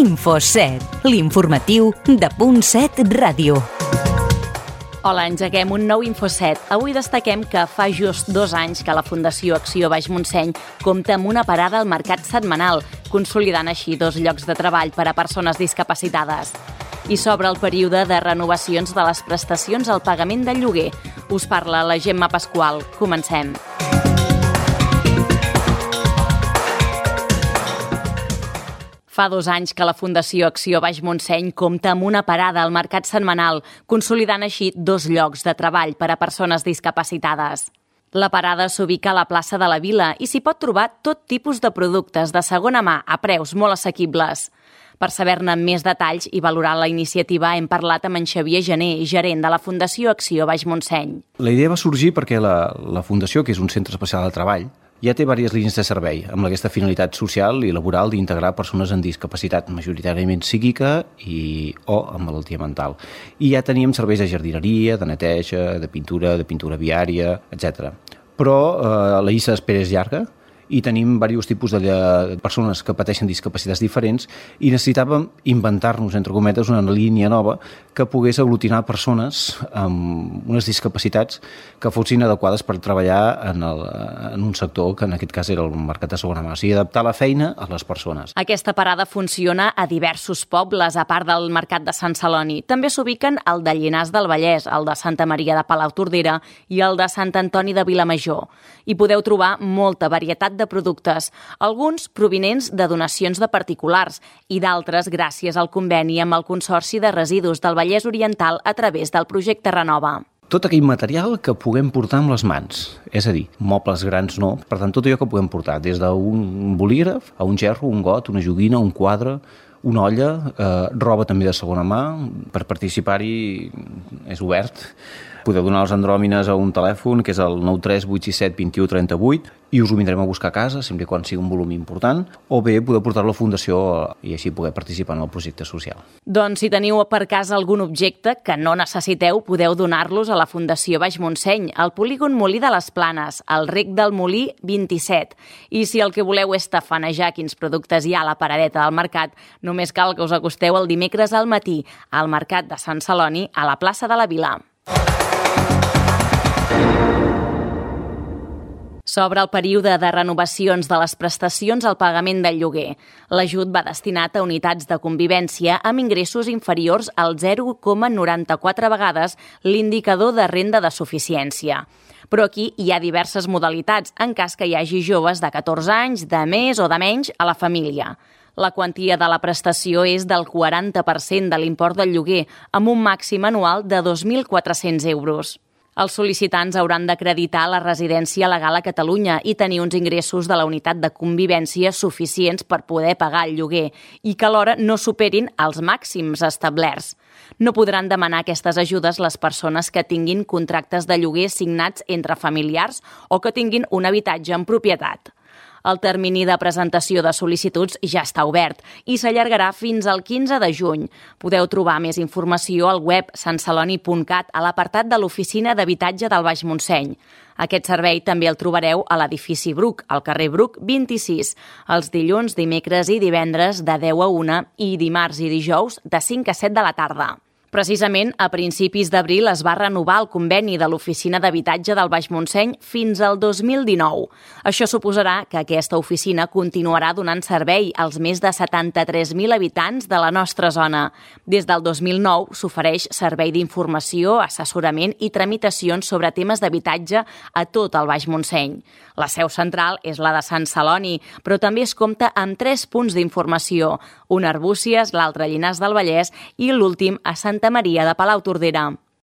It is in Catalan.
Info7, l'informatiu de Punt7 Ràdio. Hola, engeguem un nou Info7. Avui destaquem que fa just 2 anys que la Fundació Acció Baix Montseny compta amb una parada al mercat setmanal, consolidant així 2 llocs de treball per a persones discapacitades. I s'obre el període de renovacions de les prestacions al pagament del lloguer. Us parla la Gemma Pasqual. Comencem. Fa 2 anys que la Fundació Acció Baix Montseny compta amb una parada al mercat setmanal, consolidant així 2 llocs de treball per a persones discapacitades. La parada s'ubica a la plaça de la Vila i s'hi pot trobar tot tipus de productes de segona mà a preus molt assequibles. Per saber-ne més detalls i valorar la iniciativa hem parlat amb en Xavier Gené, gerent de la Fundació Acció Baix Montseny. La idea va sorgir perquè la Fundació, que és un centre especial de treball, ja té diverses línies de servei amb aquesta finalitat social i laboral d'integrar persones amb discapacitat, majoritàriament psíquica o amb malaltia mental. I ja teníem serveis de jardineria, de neteja, de pintura viària, etc. Però la llista d'espera és llarga i tenim diversos tipus de persones que pateixen discapacitats diferents i necessitàvem inventar-nos, entre cometes, una línia nova que pogués aglutinar persones amb unes discapacitats que fossin adequades per treballar en un sector que en aquest cas era el mercat de segona mà, o sigui, adaptar la feina a les persones. Aquesta parada funciona a diversos pobles, a part del mercat de Sant Celoni. També s'ubiquen el de Llinars del Vallès, el de Santa Maria de Palautordera i el de Sant Antoni de Vilamajor. Hi podeu trobar molta varietat de productes, alguns provinents de donacions de particulars i d'altres gràcies al conveni amb el Consorci de Residus del Vallès Oriental a través del projecte Renova. Tot aquell material que puguem portar amb les mans, és a dir, mobles grans no, per tant tot allò que puguem portar, des d'un bolígraf a un gerro, un got, una joguina, un quadre, una olla, roba també de segona mà. Per participar-hi és obert. Podeu donar les andròmines a un telèfon, que és el 93867 2138, i us ho vindrem a buscar a casa, sempre quan sigui un volum important, o bé podeu portar-lo a la Fundació i així poder participar en el projecte social. Doncs si teniu per casa algun objecte que no necessiteu, podeu donar-los a la Fundació Baix Montseny, al polígon Molí de les Planes, al Rec del Molí 27. I si el que voleu és tafanejar quins productes hi ha a la paradeta del mercat, només cal que us acosteu el dimecres al matí al Mercat de Sant Celoni, a la plaça de la Vila. S'obre el període de renovacions de les prestacions al pagament del lloguer. L'ajut va destinat a unitats de convivència amb ingressos inferiors al 0,94 vegades l'indicador de renda de suficiència. Però aquí hi ha diverses modalitats en cas que hi hagi joves de 14 anys, de més o de menys a la família. La quantia de la prestació és del 40% de l'import del lloguer, amb un màxim anual de 2.400 euros. Els sol·licitants hauran d'acreditar la residència legal a Catalunya i tenir uns ingressos de la unitat de convivència suficients per poder pagar el lloguer i que alhora no superin els màxims establerts. No podran demanar aquestes ajudes les persones que tinguin contractes de lloguer signats entre familiars o que tinguin un habitatge en propietat. El termini de presentació de sol·licituds ja està obert i s'allargarà fins al 15 de juny. Podeu trobar més informació al web santceloni.cat a l'apartat de l'Oficina d'Habitatge del Baix Montseny. Aquest servei també el trobareu a l'edifici Bruc, al carrer Bruc 26, els dilluns, dimecres i divendres de 10 a 1 i dimarts i dijous de 5 a 7 de la tarda. Precisament, a principis d'abril es va renovar el conveni de l'Oficina d'Habitatge del Baix Montseny fins al 2019. Això suposarà que aquesta oficina continuarà donant servei als més de 73.000 habitants de la nostra zona. Des del 2009 s'ofereix servei d'informació, assessorament i tramitacions sobre temes d'habitatge a tot el Baix Montseny. La seu central és la de Sant Celoni, però també es compta amb 3 punts d'informació, un a Arbúcies, l'altre a Llinars del Vallès i l'últim a Santa Maria de Palautordera.